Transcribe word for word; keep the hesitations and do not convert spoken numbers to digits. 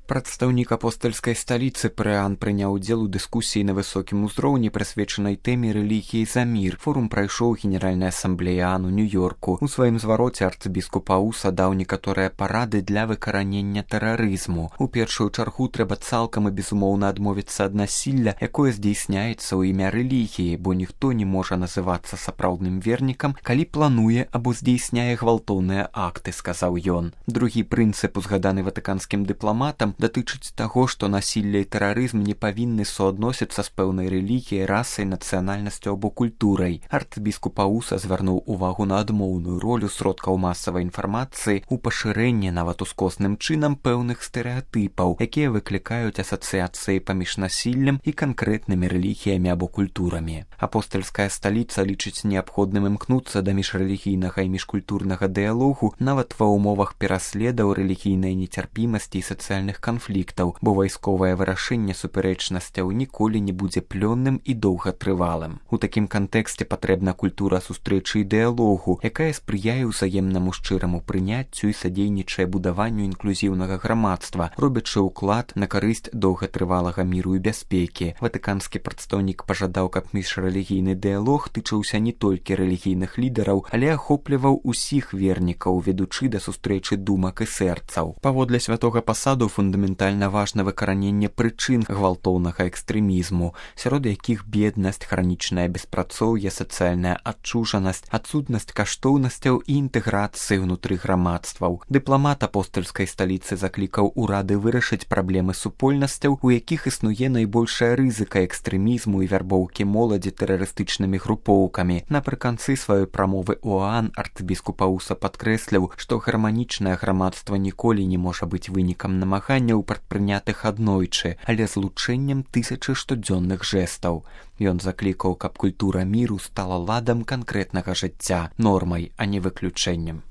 Прадстаўнік апостальскай сталіцы Прыан прыняў удзел у дыскусіі на высокім узроўні, прысвечанай тэме рэлігіі за мір. Форум прайшоў Генеральная асамблея ААН у Нью-Йорку. У сваім звароце арцыбіскуп Ауса даў некаторыя парады для выкаранення тэрарызму. У першую чаргу трэба цалкам і безумоўна адмовіцца ад насілля, якое здзейсняецца ў імя рэлігіі, бо ніхто не можа называцца сапраўдным вернікам, калі плануе або здзейсняе гвалтоўныя акты, сказаў ён. Другі прынцып, узгаданы ватыканскім дыпламатам, датычыць таго, што насілле і тэрарызм не павінны суадносіцца з пэўнай рэлігіяй, расай, нацыянальнасцю або культурай. Арцыбіскуп Ауса звярнуў увагу на адмоўную ролю сродкаў масавай інфармацыі ў пашырэнні нават ускосным чынам пэўных стэрэатыпаў, якія выклікаюць асацыяцыі паміж насіллем і канкрэтнымі рэлігіямі або культурамі. Апостальская сталіца лічыць неабходным імкнуцца да міжрэлігійнага і міжкультурнага дыялогу нават ва ўмовах пераследаў, рэлігійнай нецярпімасці і сацыяльных канфліктаў, бо вайсковае вырашэнне супярэчнасцяў ніколі не будзе плённым і доўгатрывалым. У такім кантэксце патрэбна культура сустрэчы і дыялогу, якая спрыяе ўзаемнаму шчыраму прыняццю і садзейнічае будаванню інклюзіўнага грамадства, робячы ўклад на карысць доўгатрывалага міру і бяспекі. Ватыканскі прадстаўнік пажадаў, каб міжрэлігійны дыялог тычыўся не толькі рэлігійных лідараў, але ахопліваў усіх вернікаў, ведучы да сустрэчы думак і сэрцаў. Паводле святога пасаду фундаментальна важна выкараненне прычын гвалтоўнага экстрэмізму, сярод якіх беднасць, хранічнае беспрацоўе, сацыяльная адчужанасць, адсутнасць каштоўнасцяў і інтэграцыі ўнутры грамадстваў. Дыпламат апостальскай сталіцы заклікаў урады вырашыць праблемы супольнасцяў, у якіх існуе найбольшая рызыка экстрэмізму і вярбоўкі моладзі тэрарыстычнымі групоўкамі. Напрыканцы сваёй прамовы ў ААН арцыбіскуп Ауса падкрэсліў, што гарманічнае грамадства ніколі не можа быць вынікам намаганняў, прадпрынятых аднойчы, але злучэннем тысячы штодзённых жэстаў. Ён заклікаў, каб культура міру стала ладам канкрэтнага жыцця, нормай, а не выключэннем.